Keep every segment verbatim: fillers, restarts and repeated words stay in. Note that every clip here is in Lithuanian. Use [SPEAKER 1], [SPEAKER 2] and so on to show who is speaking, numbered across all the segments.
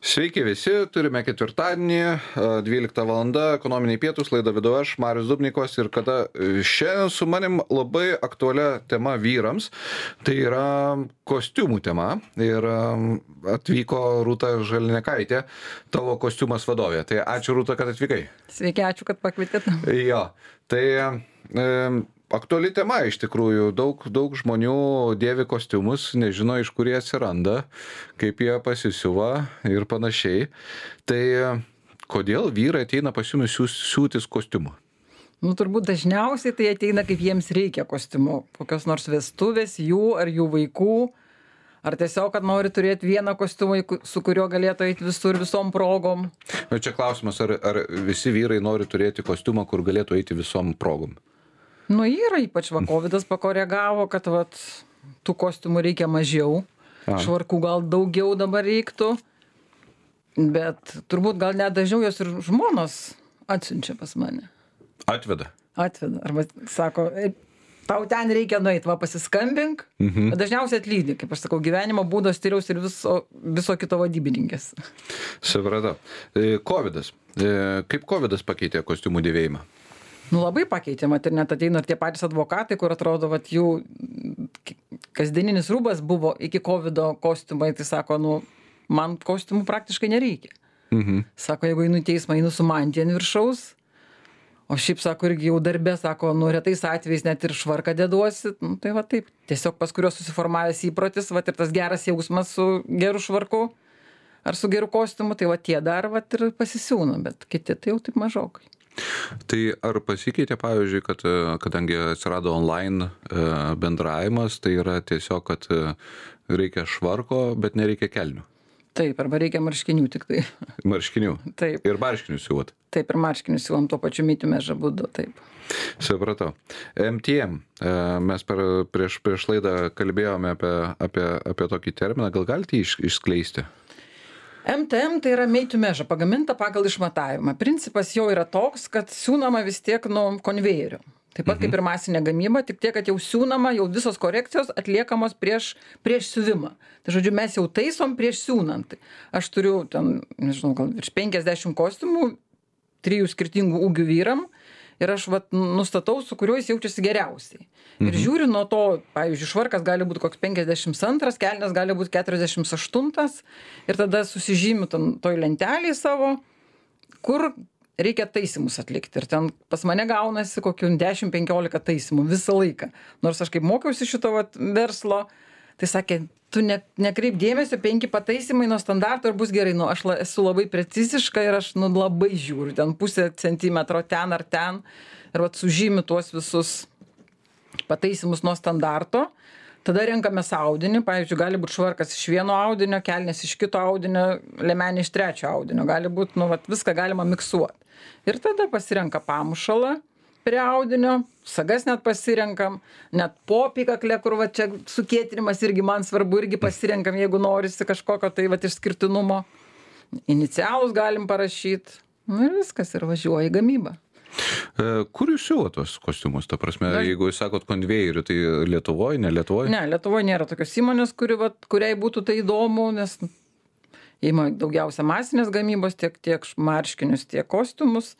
[SPEAKER 1] Sveiki visi, turime ketvirtadienį, dvylikta valanda, ekonominiai pietus, laidą vedu aš, Marius Dubnikovas ir kada šiandien su manim labai aktualia tema vyrams, tai yra kostiumų tema ir atvyko Rūta Žalinekaitė, tavo kostiumas vadovė. Tai ačiū Rūta, kad atvykai.
[SPEAKER 2] Sveiki, ačiū, kad pakvietėt.
[SPEAKER 1] Jo, tai e, aktuali tema iš tikrųjų, daug, daug žmonių dėvi kostiumus, nežino iš kur jie atsiranda, kaip jie pasisiuva ir panašiai. Tai kodėl vyrai ateina pas jumis siūtis kostiumų?
[SPEAKER 2] Nu, turbūt dažniausiai tai ateina, kaip jiems reikia kostiumų. Kokios nors vestuvės, jų ar jų vaikų. Ar tiesiog, kad nori turėti vieną kostiumą, su kuriuo galėtų eiti visur visom progom.
[SPEAKER 1] Bet čia klausimas, ar, ar visi vyrai nori turėti kostiumą, kur galėtų eiti visom progom?
[SPEAKER 2] Nu, yra, ypač va, kovidas pakoregavo, kad vat, tų kostiumų reikia mažiau, A. švarkų gal daugiau dabar reiktų, bet turbūt gal net dažniau jos ir žmonos atsiunčia pas mane.
[SPEAKER 1] Atveda?
[SPEAKER 2] Atveda, arba sako, tau ten reikia nueiti, va pasiskambink, mhm. dažniausiai atlydi, kaip aš sakau, gyvenimo būdo stiliaus ir viso, viso kito vadybininkės.
[SPEAKER 1] Supratau. Kovidas. Kaip kovidas pakeitė kostiumų dėvėjimą?
[SPEAKER 2] Nu, labai pakeitė, mat ir net ateina ir tie patys advokatai, kur atrodo, vat jų kasdieninis rūbas buvo iki kovido kostiumai, tai sako, nu, man kostiumų praktiškai nereikia. Mhm. Sako, jeigu einu į teismą, einu su mantija ant viršaus, o šiaip, sako, irgi jau darbė, sako, nu, retais atvejais net ir švarką deduosi, nu, tai va taip, tiesiog pas kurios susiformavęs įprotis, va ir tas geras jausmas su geru švarku ar su geru kostiumu, tai va tie dar va ir pasisiūna, bet kiti tai jau taip mažokai.
[SPEAKER 1] Tai ar pasikeitė, pavyzdžiui, kad kadangi atsirado online bendravimas, tai yra tiesiog, kad reikia švarko, bet nereikia kelnių?
[SPEAKER 2] Taip, arba reikia marškinių tik tai.
[SPEAKER 1] Marškinių?
[SPEAKER 2] Taip.
[SPEAKER 1] Ir marškinių siūvat?
[SPEAKER 2] Taip, ir marškinių siūvam tuo pačiu mytimėžą būdu, taip.
[SPEAKER 1] Supratau. M T M, mes per, prieš, prieš laidą kalbėjome apie, apie, apie tokį terminą, gal galite iš, išskleisti?
[SPEAKER 2] M T M tai yra made to measure, pagaminta pagal išmatavimą. Principas jau yra toks, kad siūnama vis tiek nuo konvejerio. Taip pat mhm. kaip ir masinė gamyba, tik tiek, kad jau siūnama, jau visos korekcijos atliekamos prieš, prieš siuvimą. Tai žodžiu, mes jau taisom prieš siūnant. Aš turiu ten, nežinau, gal virš penkiasdešimt kostiumų, trijų skirtingų ūgių vyram. Ir aš vat, nustatau, su kuriuo jis jaučiasi geriausiai. Mhm. Ir žiūriu nuo to, pavyzdžiui, švarkas gali būti koks penkiasdešimt antras, kelnes gali būti keturiasdešimt aštuntas. Ir tada susižymiu toj lentelėje savo, kur reikia taisymus atlikti. Ir ten pas mane gaunasi kokių dešimt penkiolika taisymų visą laiką. Nors aš kaip mokiausi šito vat, verslo, tai sakė, tu ne, nekreip dėmesio, penki pataisimai nuo standarto ir bus gerai. Nu, aš la, esu labai preciziška ir aš nu, labai žiūriu, ten pusę centimetro ten ar ten. Ir vat sužymiu tuos visus pataisimus nuo standarto. Tada renkamės audinį, pavyzdžiui, gali būti švarkas iš vieno audinio, kelnės iš kito audinio, liemenė iš trečio audinio. Gali būti, nu, vat, viską galima miksuoti. Ir tada pasirenka pamušalą prie audinio, sagas net pasirenkam, net popikaklę, kur va čia sukėtinimas irgi man svarbu, irgi pasirenkam, jeigu norisi kažkokio tai va išskirtinumo. Inicialus galim parašyti, nu ir viskas, ir važiuoja į gamybą.
[SPEAKER 1] Kur jūs siūvot tos kostiumus? Ta prasme, da. Jeigu jūs sakot konvejerių, tai Lietuvoje, ne Lietuvoje?
[SPEAKER 2] Ne, Lietuvoje nėra tokios įmonės, kuri, va, kuriai būtų tai įdomu, nes įma daugiausia masinės gamybos, tiek, tiek marškinius, tiek kostiumus.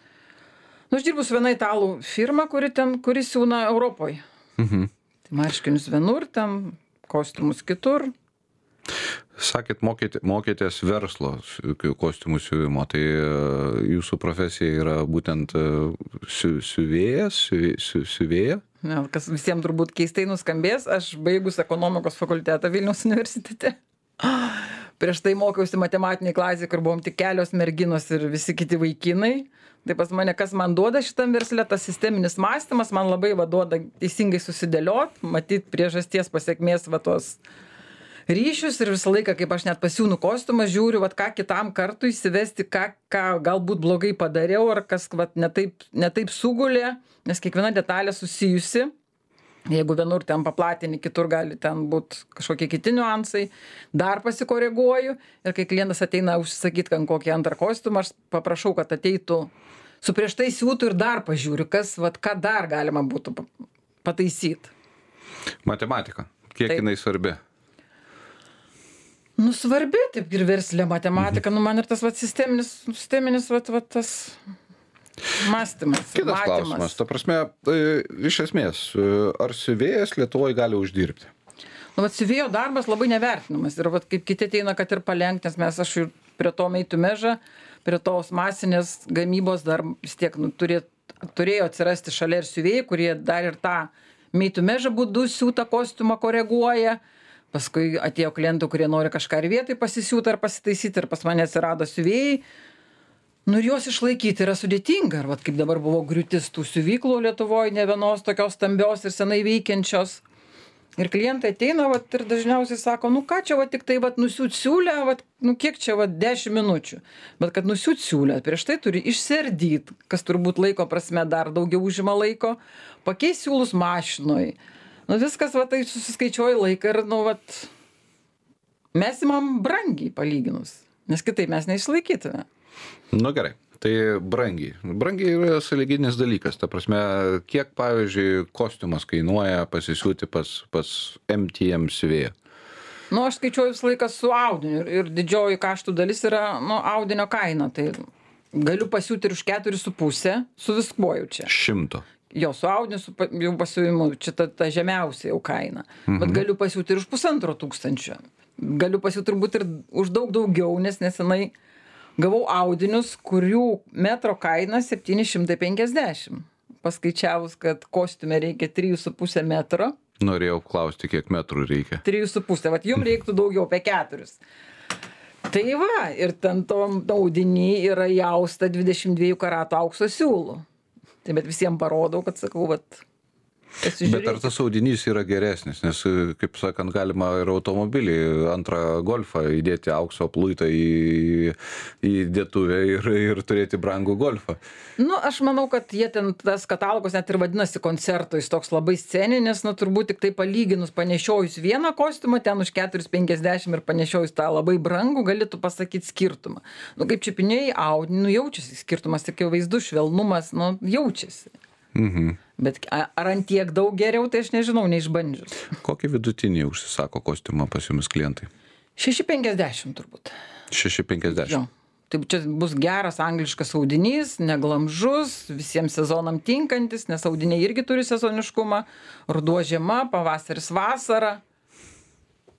[SPEAKER 2] Nu, aš dirbu su viena italų firma, kuri ten, kuri siūna Europoje. Mhm. Tai marškinius vienur, ten kostiumus kitur.
[SPEAKER 1] Sakėt, mokėt, mokėtės verslo kostiumų siuvimo, tai jūsų profesija yra būtent siu, siuvėjas, siu, siuvėja?
[SPEAKER 2] Ne, kas visiems turbūt keistai nuskambės, aš baigus ekonomikos fakultetą Vilniaus universitete. Prieš tai mokiausi matematiniai klasėje, kur buvom tik kelios merginos ir visi kiti vaikinai. Tai pas mane, kas man duoda šitam versle, tas sisteminis mąstymas, man labai va duoda teisingai susidėliot, matyt priežasties pasiekmės va tos ryšius ir visą laiką, kaip aš net pasiūnu kostiumą, žiūriu, va ką kitam kartui įsivesti, ką, ką galbūt blogai padariau, ar kas va netaip, netaip sugulė, nes kiekviena detalė susijusi. Jeigu vienur ten paplatini, kitur gali ten būti kažkokie kiti niuansai, dar pasikoreguoju ir kai klientas ateina užsisakyti kokį antrą kostiumą, aš paprašau, kad ateitų su prieš tai siūtų ir dar pažiūriu, kas, vat, ką dar galima būtų pataisyti.
[SPEAKER 1] Matematika. Kiek Taip. jinai svarbi?
[SPEAKER 2] Nu, svarbi, taip ir verslė matematika, mhm. nu, man ir tas, vat, sisteminis, sisteminis, vat, vat, tas mąstymas.
[SPEAKER 1] Kitas matymas. Klausimas, ta prasme, tai, iš esmės, ar siuvėjas Lietuvoje gali uždirbti?
[SPEAKER 2] Nu, vat, siuvėjo darbas labai nevertinamas ir, vat, kaip kiti ateina, kad ir palenkt, nes mes, aš ir prie to meitų mežą, prie tos masinės gamybos dar vis tiek, nu, turėt, turėjo atsirasti šalia ir siuvėjai, kurie dar ir tą meitų mežą būdu siūtą kostiumą koreguoja. Paskui atėjo klientų, kurie nori kažką ir vietai pasisiūti ar pasitaisyti, ir pas mane atsirado siuvėjai. Nu ir juos išlaikyti yra sudėtinga. Ir vat, kaip dabar buvo griūtis tų siuvyklų Lietuvoje, ne vienos tokios stambios ir senai veikiančios. Ir klientai ateina vat, ir dažniausiai sako, nu ką čia vat, tik tai vat, nusiūt siūlę, vat, nu kiek čia vat, dešimt minučių. Bet kad nusiūt siūlę, prieš tai turi išsiardyti, kas turbūt laiko prasme dar daugiau užima laiko, pakeis siūlus mašinoj. Nu viskas, va, tai susiskaičiuoja laiką ir, nu, vat, mes imam brangiai palyginus, nes kitaip mes neišlaikytume.
[SPEAKER 1] Nu gerai, tai brangiai. Brangiai yra sąlyginis dalykas, ta prasme, kiek, pavyzdžiui, kostiumas kainuoja pasisiūti pas, pas M T M siuvėją?
[SPEAKER 2] Nu, aš skaičiuoju visą laiką su audiniu ir, ir didžioji kaštų dalis yra, nu, audinio kaina, tai galiu pasiūti ir už keturis su pusę, su viskuo jau čia.
[SPEAKER 1] Šimto.
[SPEAKER 2] Jo, su audiniu, su jau pasiūvimu, čia ta, ta žemiausia jau kaina. Mhm. Bet galiu pasiūti ir už pusantro tūkstančio. Galiu pasiūti turbūt ir už daug daugiau, nes nesenai gavau audinius, kurių metro kaina septyni šimtai penkiasdešimt. Paskaičiavus, kad kostiume reikia trijų su pusė metro.
[SPEAKER 1] Norėjau klausti, kiek metrų reikia.
[SPEAKER 2] Trijų su pusė, vat jums reiktų daugiau, apie keturis. Tai va, ir ten to audinį yra jausta dvidešimt dviejų karatų aukso siūlų. Tai bet visiems parodau, kad sakau, vat,
[SPEAKER 1] bet ar tas audinys yra geresnis, nes, kaip sakant, galima ir automobilį, antrą golfą įdėti aukso pluitą į, į dėtuvę ir, ir turėti brangų golfą.
[SPEAKER 2] Nu, aš manau, kad jie ten, tas katalogas net ir vadinasi koncerto, jis toks labai sceninis, nu, turbūt tik tai palyginus panešiojus vieną kostiumą, ten už keturis penkiasdešimt ir panešiojus tą labai brangų, galėtų pasakyti skirtumą. Nu, kaip čiupinėjai audinį, nu, jaučiasi skirtumas, tik jau vaizdų švelnumas, nu, jaučiasi.
[SPEAKER 1] Mhm.
[SPEAKER 2] Bet ar ant tiek daug geriau, tai aš nežinau, neišbandžius.
[SPEAKER 1] Kokį vidutinį užsisako kostiumą pas jumis klientai?
[SPEAKER 2] šeši penkiasdešimt turbūt.
[SPEAKER 1] šeši penkiasdešimt.
[SPEAKER 2] Jo. Tai čia bus geras angliškas audinys, neglamžus, visiems sezonam tinkantis, nes audiniai irgi turi sezoniškumą. Ruduo žiema, pavasaris vasara.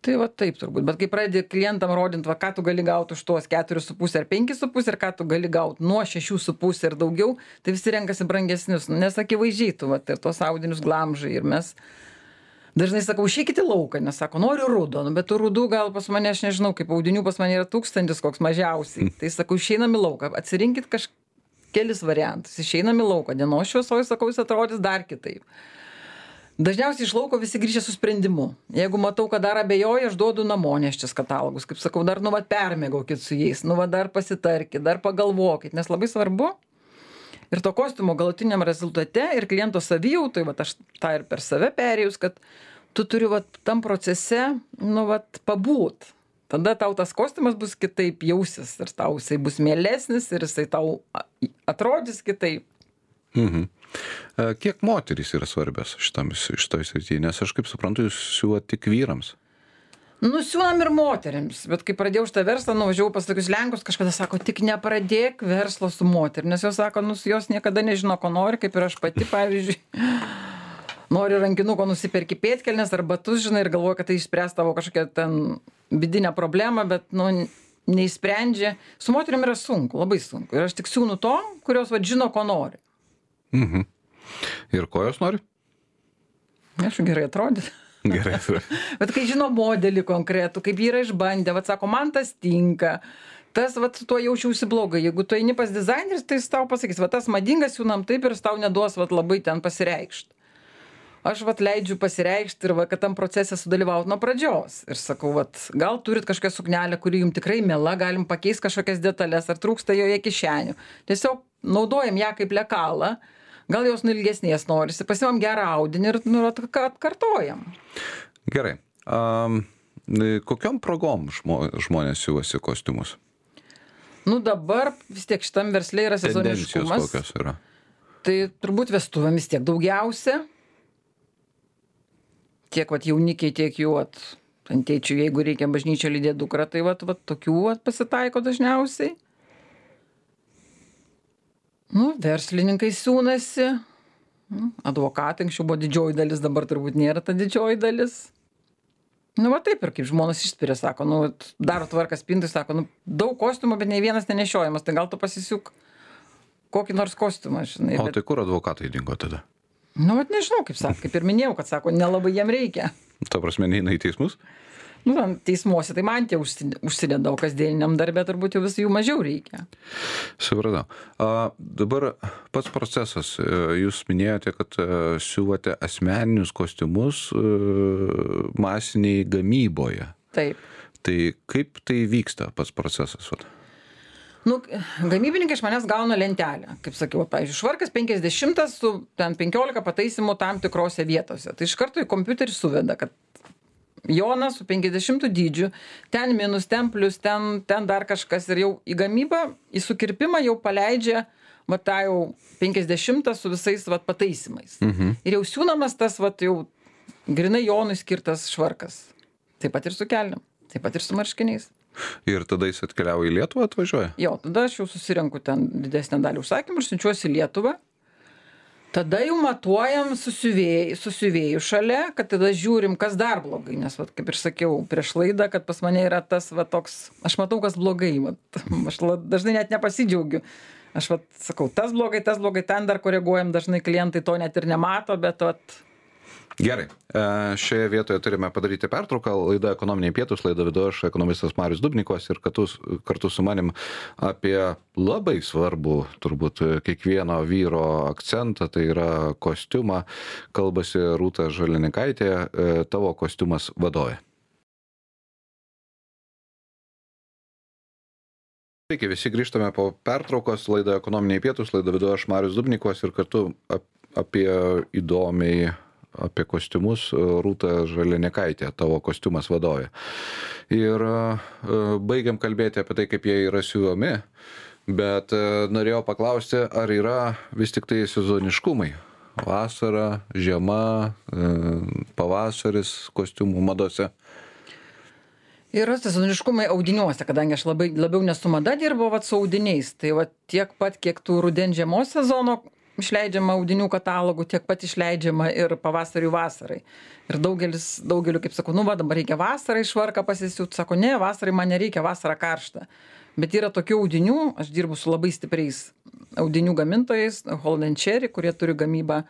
[SPEAKER 2] Tai va taip turbūt, bet kai pradedi klientam rodint, va ką tu gali gauti už tuos keturis su pusė ar penkis su pusė, ir ką tu gali gauti nuo šešių su pusė ir daugiau, tai visi renkasi brangesnius, nes akivaizdžiai tu, va, ir tos audinius glamžai ir mes dažnai sakau, išeikite lauką, nes sako, noriu rudo, nu, bet tų rudų gal pas mane, aš nežinau, kaip audinių pas mane yra tūkstantis koks mažiausiai, tai sakau, išeinam į lauką, atsirinkit kažkelis variantus, išeinam į lauką, dienos šviesoj, sakau, jis atrodys dar kitaip. Dažniausiai iš lauko visi grįžia su sprendimu. Jeigu matau, kad dar abejoja, aš duodu namoneščias katalogus. Kaip sakau, dar nu va permėgaukit su jais, nu va dar pasitarkit, dar pagalvokit, nes labai svarbu. Ir to kostiumo galutiniam rezultate ir kliento savijautai, va aš tą ir per save perėjus, kad tu turi va tam procese, nu va pabūt. Tada tau tas kostiumas bus kitaip jausis ir tau jisai bus mielesnis ir jisai tau atrodys kitaip.
[SPEAKER 1] Mhm. Kiek moterys yra svarbios šitoj srityje, nes aš kaip suprantu, jūs siūvat tik vyrams?
[SPEAKER 2] Nu, siūnam ir moterims, bet kai pradėjau šitą verslą, nuvažiavau pas tokius lenkus, kažkada sako, tik nepradėk verslo su moterim, nes jos sako, nu, jos niekada nežino, ko nori, kaip ir aš pati, pavyzdžiui, nori rankinuko nusipirki pėdkelnes ar batus, žinai, ir galvoja, kad tai išspręs tavo kažkokią ten vidinę problemą, bet, nu, neįsprendžia. Su moterim yra sunku, labai sunku. Ir aš tik siūnu to, kurios, va, žino, ko nori.
[SPEAKER 1] Mhm. Ir ko jos nori?
[SPEAKER 2] Aš gerai atrodyti.
[SPEAKER 1] Gerai atrodyti.
[SPEAKER 2] Bet kai žino modelį konkretų, kaip jį yra išbandę, vat sako, man tas tinka, tas, vat, su tuo jaučiausi blogai. Jeigu tu eini pas dizaineris, tai jis tau pasakys, vat tas madingas siūnam taip ir jis tau neduos, vat labai ten pasireikšti. Aš vat leidžiu pasireikšti ir va, kad tam procese sudalyvauti nuo pradžios. Ir sakau, vat, gal turit kažkokią suknelę, kuri jums tikrai miela, galim pakeisti kažkokias detalės, ar trūksta joje kišenių. Tiesiog naudojam ją kaip lekalą. Gal jos ilgesnės norisi, pasimam gerą audinį ir nu, atkartojam.
[SPEAKER 1] Gerai. Um, kokiom progom žmo, žmonės siūvasi kostiumus?
[SPEAKER 2] Nu dabar vis tiek šitam versle yra sezoniškumas.
[SPEAKER 1] Tendencijos kokios yra?
[SPEAKER 2] Tai turbūt vestuvėm vis tiek daugiausia. Tiek vat jaunikiai, tiek jų vat ant tėčių, jeigu reikia bažnyčio lydėti dukrą, tai vat, vat tokių vat pasitaiko dažniausiai. Nu, verslininkai siūnasi, nu, advokatai, anksčiau buvo didžioji dalis, dabar turbūt nėra ta didžioji dalis. Nu, va taip ir kaip žmonos išspiria, sako, nu, daro tvarką spintai, sako, nu, daug kostiumų, bet nei vienas nenešiojamas, tai gal tu pasisiūk kokį nors kostiumą, žinai.
[SPEAKER 1] O
[SPEAKER 2] bet...
[SPEAKER 1] tai kur advokatai dingo tada?
[SPEAKER 2] Nu, vat nežinau, kaip sako, kaip ir minėjau, kad sako, nelabai jiem reikia.
[SPEAKER 1] Ta prasme, neina į teismus?
[SPEAKER 2] Nu, teismuose tai man tie užsideda, o kasdieniniam darbė turbūt jau vis jų mažiau reikia.
[SPEAKER 1] Supratau. A, dabar pats procesas. Jūs minėjote, kad siūvote asmeninius kostiumus masiniai gamyboje.
[SPEAKER 2] Taip.
[SPEAKER 1] Tai kaip tai vyksta pats procesas?
[SPEAKER 2] Nu, gamybininkai iš manęs gauna lentelę. Kaip sakiau, pavyzdžiui, švarkas penkiasdešimt su ten penkiolika pataisimų tam tikrose vietose. Tai iš karto į kompiuterį suveda, kad Jonas su penkiasdešimtu dydžiu, ten minus, ten plus, ten, ten dar kažkas ir jau į gamybą, į sukirpimą jau paleidžia va tą jau penkiasdešimtą su visais va pataisimais. Mhm. Ir jau siūnamas tas va jau grinai Jonui skirtas švarkas. Taip pat ir su kelniam, taip pat ir su marškiniais.
[SPEAKER 1] Ir tada jis atkeliauja į Lietuvą, atvažiuoja?
[SPEAKER 2] Jo, tada aš jau susirenku ten didesnę dalį užsakymų ir siunčiuosi į Lietuvą. Tada jau matuojam su siuvėjų, su siuvėjų šalia, kad tada žiūrim, kas dar blogai. Nes, vat, kaip ir sakiau prieš laidą, kad pas mane yra tas va, toks, aš matau, kas blogai. Vat, aš dažnai net nepasidžiaugiu. Aš vat, sakau, tas blogai, tas blogai, ten dar koreguojam, dažnai klientai to net ir nemato, bet vat,
[SPEAKER 1] Gerai, šioje vietoje turime padaryti pertrauką. Laida Ekonominiai pietūs, laida vedu aš, ekonomistas Marius Dubnikovas, ir kartu, kartu su manim apie labai svarbų, turbūt, kiekvieno vyro akcentą, tai yra kostiumą, kalbasi Rūta Žalianekaitė, tavo kostiumas vadovė. Sveiki, visi grįžtame po pertraukos, laida Ekonominiai pietūs, laida vedu aš, Marius Dubnikovas, ir kartu apie įdomiai apie kostiumus Rūta Žalianekaitė, tavo kostiumas vadovė. Ir baigiam kalbėti apie tai, kaip jie yra siūlomi, bet norėjau paklausti, ar yra vis tik tai sezoniškumai. Vasara, žiema, pavasaris kostiumų madose.
[SPEAKER 2] Yra sezoniškumai audiniuose, kadangi aš labai, labiau nesu mada dirbu vat, su audiniais. Tai vat, tiek pat, kiek tų rudens žiemos sezono išleidžiama audinių katalogų, tiek pat išleidžiama ir pavasarių vasarai. Ir daugelis, daugeliu, kaip sakau, nu va, dabar reikia vasarai švarką pasisiūt. Sako, ne, vasarai man nereikia, vasara karšta. Bet yra tokių audinių, aš dirbu su labai stipriais audinių gamintojais, Holland Cherry, kurie turi gamybą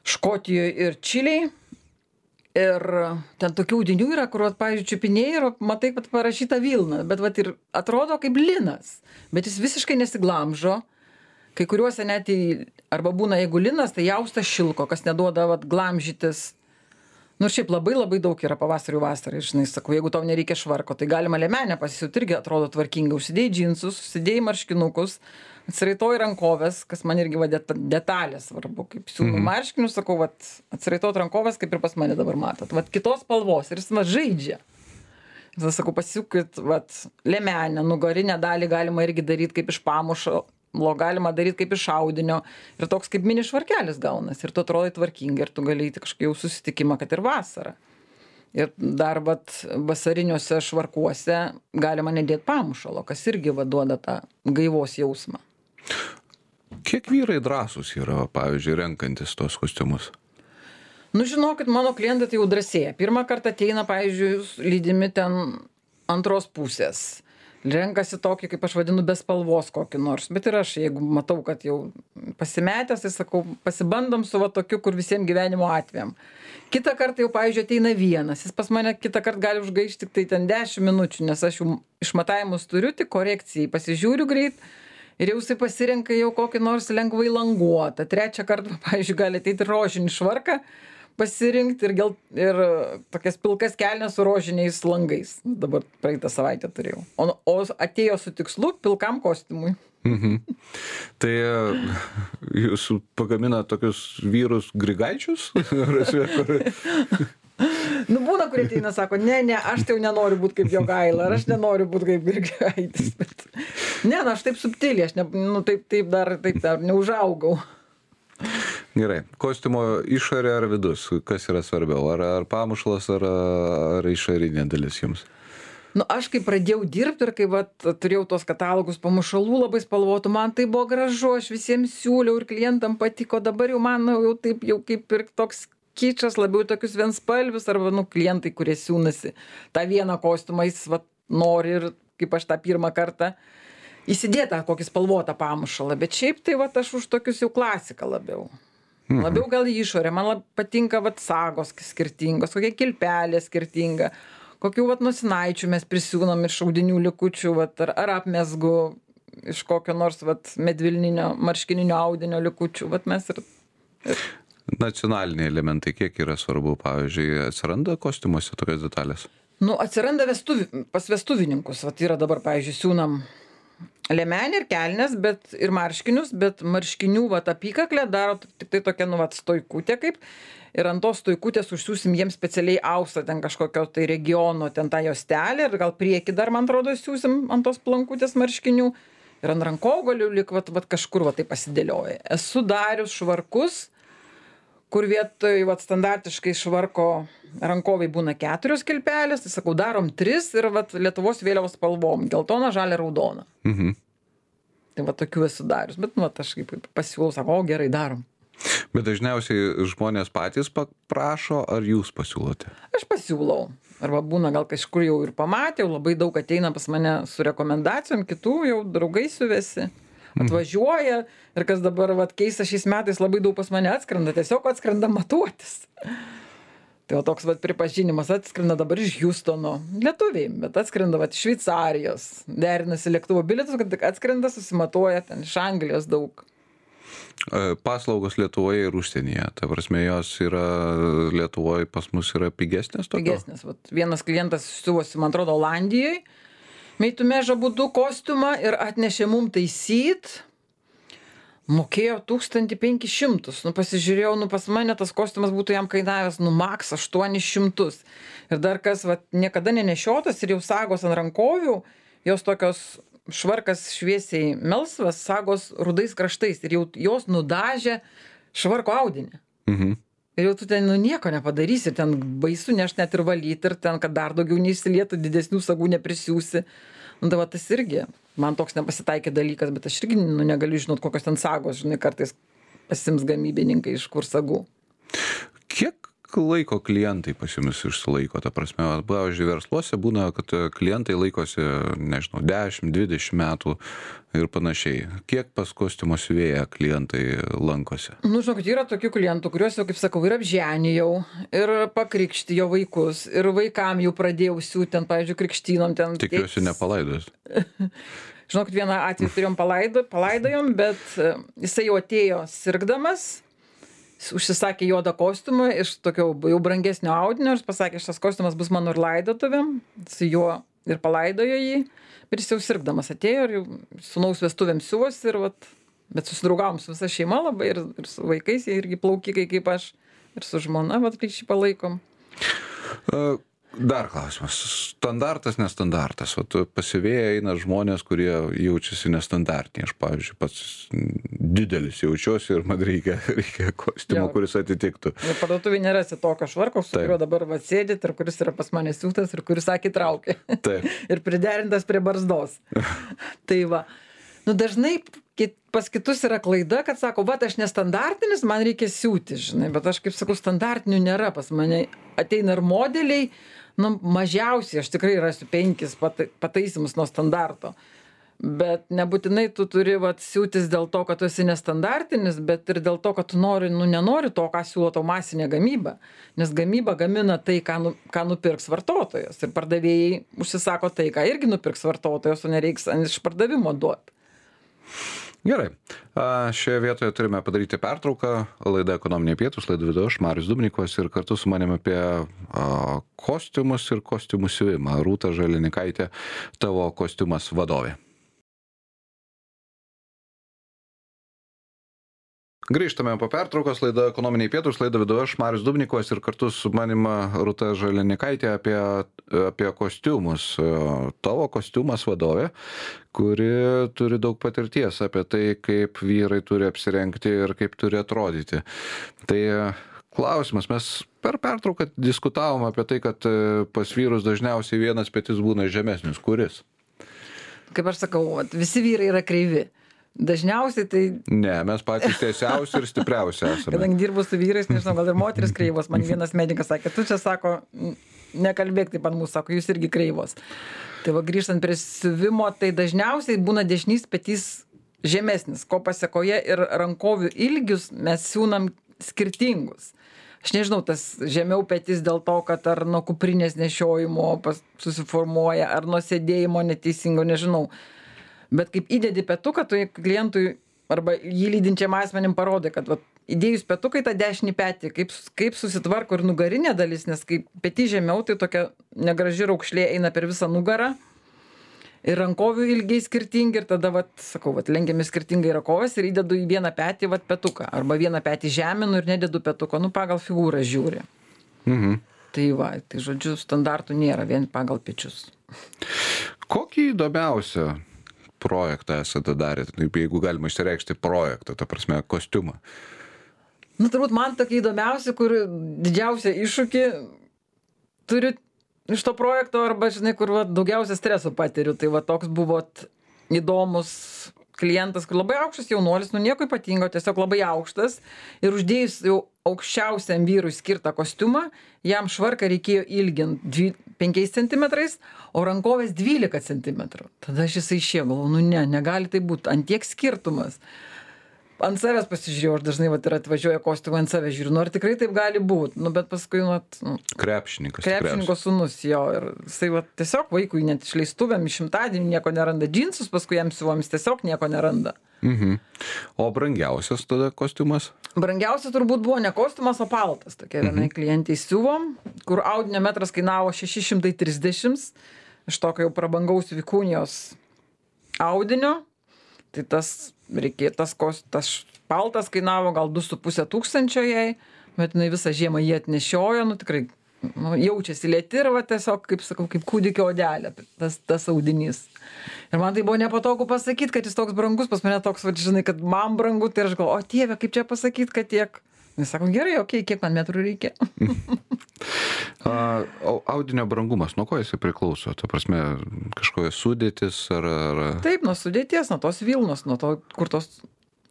[SPEAKER 2] Škotijoje ir Čilėje. Ir ten tokių audinių yra, kur, pavyzdžiui, čiupinėjai ir matai, kad parašyta vilna, bet vat, ir atrodo kaip linas, bet jis visiškai nesiglamžo. Kai kuriuose net į, arba būna, jeigu linas, tai jaustas šilko, kas neduoda vat, glamžytis. Nu ir šiaip labai labai daug yra pavasarių vasarai, žinai, sakau, jeigu tau nereikia švarko, tai galima liemenę pasisiūt, irgi atrodo tvarkingai. Užsidėjai džinsus, užsidėjai marškinukus, atsiraitoji rankovės, kas man irgi va, detalės svarbu, kaip siūnu mhm. marškinius, sakau, vat, atsiraitot rankovės, kaip ir pas mane dabar matot. Vat kitos spalvos ir jis man žaidžia. Tada sakau, pasisiūkit, vat, liemenę, nugarinę dalį galima irgi daryti kaip iš pamušo. Lo galima daryti kaip iš audinio ir toks kaip mini švarkelis gaunas ir tu atrodai tvarkingai ir tu gali įti kažkokį jau susitikimą, kad ir vasarą. Ir dar vat vasariniuose švarkuose galima nedėti pamušalo, kas irgi vaduoda tą gaivos jausmą.
[SPEAKER 1] Kiek vyrai drąsūs yra, pavyzdžiui, renkantis tos kostiumus?
[SPEAKER 2] Nu, žinokit, mano klientai tai jau drąsėja. Pirmą kartą ateina, pavyzdžiui, lydimi ten antros pusės. Renkasi tokį, kaip aš vadinu, be spalvos kokį nors. Bet ir aš, jeigu matau, kad jau pasimetęs, tai sakau, pasibandom su va tokiu, kur visiems gyvenimo atvejam. Kitą kartą jau, pavyzdžiui, ateina vienas. Jis pas mane kitą kartą gali užgaišti tik tai ten dešimt minučių, nes aš jau išmatavimus turiu, tik korekcijai pasižiūriu greit ir jau jisai pasirenka jau kokį nors lengvai languotą. Trečią kartą, pavyzdžiui, gali ateiti rožinį švarką pasirinkti ir, gel, ir tokias pilkas kelnes su rožiniais langais. Dabar praeitą savaitę turėjau. O, o atėjo su tikslu pilkam kostiumui.
[SPEAKER 1] Mhm. Tai jūs pagamina tokius vyrus grigaičius?
[SPEAKER 2] Nu, būna, kurie ateina, sako, ne, ne, aš tai jau nenoriu būti kaip Jogaila, ar aš nenoriu būti kaip Grigaitis. Bet... Ne, na, aš taip subtiliai, aš ne, nu, taip, taip, dar, taip dar neužaugau.
[SPEAKER 1] Gerai, kostiumo išorė ar vidus, kas yra svarbiau, ar, ar pamušalas, ar, ar išorinė dalis jums?
[SPEAKER 2] Nu, aš kai pradėjau dirbti ir kai vat, turėjau tos katalogus pamušalų labai spalvotų, man tai buvo gražu, aš visiems siūliau ir klientam patiko, dabar jau man jau taip jau kaip ir toks kičas, labiau tokius vienspalvius, arba nu, klientai, kurie siūnasi tą vieną kostiumą, jis vat, nori ir kaip aš tą pirmą kartą įsidėtą kokį spalvotą pamušalą, bet šiaip tai vat, aš už tokius jau klasiką labiau. Mhm. Labiau gal į išorę, man lab, patinka vat, sagos skirtingos, kokia kilpelė skirtinga. Kokių vat nosinaičių mes prisiūnam iš audinių likučių, vat, ar, ar apmesgu iš kokio nors vat, medvilninio, marškininio audinio likučių. Vat mes ir, ir...
[SPEAKER 1] Nacionaliniai elementai, kiek yra svarbu, pavyzdžiui, atsiranda kostiumuose tokios detalės?
[SPEAKER 2] Nu, atsiranda vestuvi, pas vestuvininkus. Vat yra dabar, pavyzdžiui, siūnam liemenį ir kelnes, bet ir marškinius, bet marškinių vat, apykaklę daro tik tai tokia nu, vat, stoikutė kaip. Ir ant tos stoikutės užsiūsim jiems specialiai austą ten kažkokio tai regiono, ten tą juostelę ir gal priekį dar, man atrodo, siūsim ant tos plankutės marškinių. Ir ant rankogalių lik vat, vat, kažkur vat, tai pasidėlioja. Esu darius švarkus, kur vietoj vat, standartiškai švarko rankovai būna keturios kilpelės, tai sakau, darom tris ir vat, Lietuvos vėliavos spalvom, geltona, žalia, raudona.
[SPEAKER 1] Mhm.
[SPEAKER 2] Tai vat, tokių esu darius, bet nu, vat, aš kaip pasiūlau, sakau, o gerai, darom.
[SPEAKER 1] Bet dažniausiai žmonės patys prašo, ar jūs pasiūlote?
[SPEAKER 2] Aš pasiūlau. Arba būna gal kažkur jau ir pamatė, jau labai daug ateina pas mane su rekomendacijom, kitų jau draugai suvesi, atvažiuoja ir kas dabar vat, keista šiais metais labai daug pas mane atskrenda, tiesiog atskrenda matuotis. Tai va toks vat, pripažinimas atskrenda dabar iš Houstono, lietuviai, bet atskrenda vat, iš Šveicarijos, derinasi lėktuvo bilietus, kad tik atskrenda, susimatuoja ten iš Anglijos daug.
[SPEAKER 1] Paslaugos Lietuvoje ir užsienyje, ta prasme, jos yra Lietuvoje pas mus yra pigesnės tokio?
[SPEAKER 2] Pigesnės, vat, vienas klientas siuvosi, man atrodo, Olandijoje, meitumėžą būdu kostiumą ir atnešė mum taisyt, mokėjo tūkstantį penkis šimtus, nu pasižiūrėjau, nu pas mane tas kostiumas būtų jam kainavęs, nu maks aštuonis šimtus. Ir dar kas, vat, niekada nenešiotas ir jau sagos ant rankovių, jos tokios švarkas šviesiai melsvas, sagos rudais kraštais ir jau jos nudažė švarko audinį.
[SPEAKER 1] Mhm.
[SPEAKER 2] Ir jau tu ten nu, nieko nepadarysi, ten baisu nešt net ir valyti ir ten, kad dar daugiau neišsilietų, didesnių sagų neprisiūsi. Nu, tai va, tas irgi, man toks nepasitaikė dalykas, bet aš irgi nu, negaliu žinot, kokios ten sagos, žinai, kartais pasims gamybininkai iš kur sagų.
[SPEAKER 1] Kiek laiko klientai pas jumis išsilaiko, ta prasme, pavyzdžiui, versluose būna, kad klientai laikosi, nežinau, dešimt dvidešimt metų ir panašiai. Kiek pas kostiumo siuvėją klientai lankosi?
[SPEAKER 2] Nu, žinokit, yra tokių klientų, kuriuos jau, kaip sakau, ir apženijau, ir pakrikšti jo vaikus, ir vaikam jau pradėjau siūti, ten, pavyzdžiui, krikštynom ten.
[SPEAKER 1] Tikiuosi nepalaidojus.
[SPEAKER 2] Žinokit, vieną atvejį turėjom palaido, palaidojom, bet jisai jau atėjo sirgdamas, užsisakė juodą kostiumą iš tokio jau brangesnio audinio ir pasakė, šitas kostiumas bus mano ir laidotuvėm, su juo ir palaidojo jį, bet jis jau sirgdamas atėjo ir jau sūnaus vestuvėm siuvosi ir vat, bet susidraugavom su visa šeima labai ir, ir su vaikais, jie irgi plaukikai kaip aš ir su žmona, vat ryšį palaikom.
[SPEAKER 1] Uh. Dar klausimas. Standartas, nestandartas. Vat pasivėję eina žmonės, kurie jaučiasi nestandartiniai. Aš, pavyzdžiui, pats didelis jaučiuosi ir man reikia, reikia kostiumo, kuris atitiktų.
[SPEAKER 2] Ir parduotuvėje nerasi tokio švarko, su kuriuo dabar va sėdit ir kuris yra pas mane siūtas ir kuris akį traukia.
[SPEAKER 1] Taip.
[SPEAKER 2] Ir priderintas prie barzdos. Tai va. Nu, dažnai pas kitus yra klaida, kad sako, va, aš nestandartinis, man reikia siūti, žinai, bet aš kaip sakau, standartinių nėra pas mane. Ateina ir modeliai, nu, mažiausiai, aš tikrai rasiu penkis pataisimus nuo standarto. Bet nebūtinai tu turi vat, siūtis dėl to, kad tu esi nestandartinis, bet ir dėl to, kad tu nori, nu, nenori to, ką siūlo tau masinė gamyba. Nes gamyba gamina tai, ką, nu, ką nupirks vartotojas. Ir pardavėjai užsisako tai, ką irgi nupirks vartotojas, o nereiks iš pardavimo duoti.
[SPEAKER 1] Gerai. Šioje vietoje turime padaryti pertrauką. Laida Ekonominiai pietūs, laidą vedu aš, Marius Dubnikovas, ir kartu su manim apie kostiumus ir kostiumų siuvimą. Rūta Žalinikaitė, tavo kostiumas vadovė. Grįžtame po pertraukos, laida Ekonominiai pietūs, laida vedu aš, Marius Dubnikovas ir kartu su manima Rūta Žalinikaitė apie, apie kostiumus. Tavo kostiumas vadovė, kuri turi daug patirties apie tai, kaip vyrai turi apsirengti ir kaip turi atrodyti. Tai klausimas, mes per pertrauką diskutavom apie tai, kad pas vyrus dažniausiai vienas petis būna žemesnis. Kuris?
[SPEAKER 2] Kaip aš sakau, visi vyrai yra kreivi. Dažniausiai tai...
[SPEAKER 1] Ne, mes patys tiesiausi ir stipriausi esame.
[SPEAKER 2] Kadangi dirbu su vyrais, nežinau, gal ir moteris kreivos. Man vienas medikas sakė, tu čia sako, nekalbėk taip ant mūsų, sako, jūs irgi kreivos. Tai va, grįžtant prie siuvimo, tai dažniausiai būna dešinys petys žemesnis, ko pasekoje ir rankovių ilgius mes siūnam skirtingus. Aš nežinau, tas žemiau petys dėl to, kad ar nuo kuprinės nešiojimo susiformuoja, ar nuo sėdėjimo neteisingo, nežinau. Bet kaip įdedi petuką, tu klientui arba jį lydinčiam asmenim parodai, kad vat, įdėjus petukai tą dešinį petį, kaip, kaip susitvarko ir nugarinė dalis, nes kaip petį žemiau, tai tokia negraži raukšlė eina per visą nugarą ir rankovių ilgiai skirtingi ir tada, vat, sakau, vat, lenkiami skirtingai rankovės ir įdedu į vieną petį vat, petuką arba vieną petį žeminu ir nededu petuko, nu pagal figūrą žiūri.
[SPEAKER 1] Mhm.
[SPEAKER 2] Tai va, tai žodžiu, standartų nėra, vien pagal pečius.
[SPEAKER 1] Kokį įdomiausią projektą esate darę, jeigu galima išsireikšti projektą, ta prasme, kostiumą?
[SPEAKER 2] Nu, turbūt man tokia įdomiausia, kur didžiausia iššūkį turiu iš to projekto, arba, žinai, kur va, daugiausia streso patiriu. Tai va, toks buvo įdomus klientas, kur labai aukštas jaunuolis, nu nieko ypatingo, tiesiog labai aukštas. Ir uždėjus jau aukščiausiam vyrui skirtą kostiumą, jam švarką reikėjo ilginti penkiais centimetrais, o rankovės dvylika centimetrų. Tada aš jisai išėjo, galvoju, nu ne, negali tai būti, ant tiek skirtumas. Ant savęs pasižiūrėjau, aš dažnai vat, ir atvažiuoju kostiumą ant savęs žiūriu, nu ar tikrai taip gali būti, nu bet paskui, nu, nu
[SPEAKER 1] krepšininkas.
[SPEAKER 2] Krepšininko sūnus, jo, ir jisai vat, tiesiog vaikui net išleistuvėm iš šimtadienį nieko neranda, džinsus paskui jam siuvomis tiesiog nieko neranda.
[SPEAKER 1] Mhm. O brangiausias tada kostiumas?
[SPEAKER 2] Brangiausias turbūt buvo ne kostiumas, o paltas. Tokia vienai mhm. klientai siuvom, kur audinio metras kainavo šeši šimtai trisdešimt, iš tokio jau prabangaus vikunijos audinio. Tai tas reikėjo, tas, tas paltas kainavo gal du su puse tūkstančio jai, bet jinai visą žiemą jį atnešiojo, nu tikrai nu, jaučiasi lėti ir va tiesiog, kaip sakau, kaip kūdikio odelė, tas, tas audinys. Ir man tai buvo nepatogu pasakyti, kad jis toks brangus, pas mane toks, va, žinai, kad man brangu, tai aš galvoju, o Dieve, kaip čia pasakyti, kad tiek. Jis sako, gerai, okei, okay, kiek man metrų reikia.
[SPEAKER 1] A, audinio brangumas, nuo ko jisai priklauso? Ta prasme, kažkokia sudėtis ar, ar...
[SPEAKER 2] Taip, nuo sudėties, nuo tos vilnos, nuo to, kur tos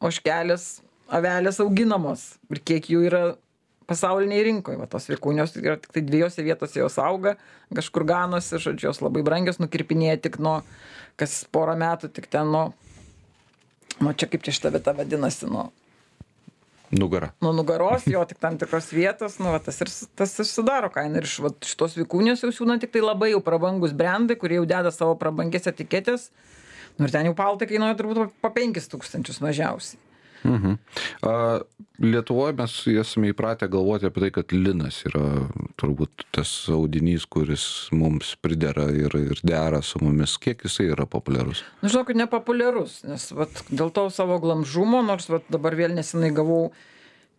[SPEAKER 2] ožkelės, avelės auginamos ir kiek jų yra pasauliniai rinkoje. Va, tos vikūnios yra tik tai dviejose vietose jos auga, kažkur ganosi, žodžiu, jos labai brangios, nukirpinėja tik nuo, kas porą metų, tik ten nuo, nuo čia kaip čia šitą vietą vadinasi, nuo
[SPEAKER 1] Nugara.
[SPEAKER 2] Nuo nugaros, jo tik tam tikros vietos, nu, va, tas ir, tas ir sudaro kainą. Ir iš va, šitos vikūnės jau siūna tik tai labai jau prabangus brandai, kurie jau deda savo prabangės etiketės. Nu, ir ten jau paltai kainuoja turbūt po penkis tūkstančius mažiausiai.
[SPEAKER 1] Mhm. A, Lietuvoje mes esame įpratę galvoti apie tai, kad linas yra turbūt tas audinys, kuris mums pridera ir, ir dera su mumis. Kiek jisai yra populiarus?
[SPEAKER 2] Nu, žinokit, nepopuliarus, nes vat, dėl to savo glamžumo, nors vat, dabar vėl nesenai gavau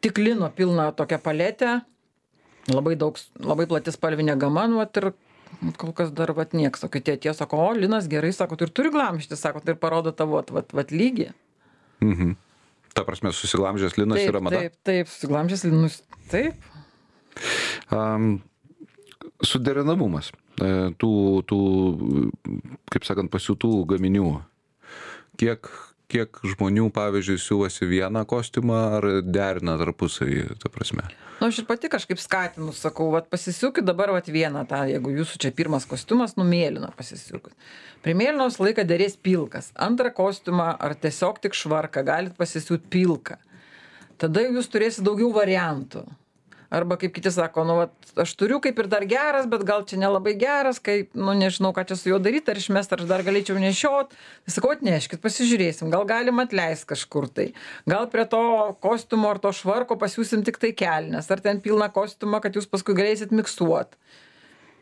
[SPEAKER 2] tik lino pilną tokią paletę, labai daug, labai plati spalvinė gama, nu, vat, ir kol kas dar vat, nieks, o kai tie tie sako, o linas gerai, sako, tu ir turi glamžyti, sako, tai ir parodo tavo vat, vat, vat lygį.
[SPEAKER 1] Mhm. Ta prasme, susiglamžęs linas
[SPEAKER 2] taip,
[SPEAKER 1] yra mada?
[SPEAKER 2] Taip, taip, susiglamžęs linus, taip.
[SPEAKER 1] Um, suderinamumas tų, tų, kaip sakant, pasiūtų gaminių. Kiek, kiek žmonių, pavyzdžiui, siūvasi vieną kostiumą ar derina tarpusavį, ta prasme?
[SPEAKER 2] Nu, aš ir pati kažkaip skatinu, sakau, vat pasisiūkit dabar vat vieną tą, jeigu jūsų čia pirmas kostiumas, nu mėlyną pasisiūkit. Prie mėlynos laiką dėrės pilkas. Antrą kostiumą ar tiesiog tik švarką galit pasisiūt pilką. Tada jūs turėsit daugiau variantų. Arba kaip kiti sako, nu, vat, aš turiu kaip ir dar geras, bet gal čia nelabai geras, kaip, nu, nežinau, ką čia su juo daryti, ar išmest, ar aš dar galėčiau nešiot. Tai sakau, atneškit, pasižiūrėsim, gal galim atleisti kažkur tai. Gal prie to kostiumo ar to švarko pasiūsim tik tai kelnes, ar ten pilną kostiumą, kad jūs paskui galėsit miksuot.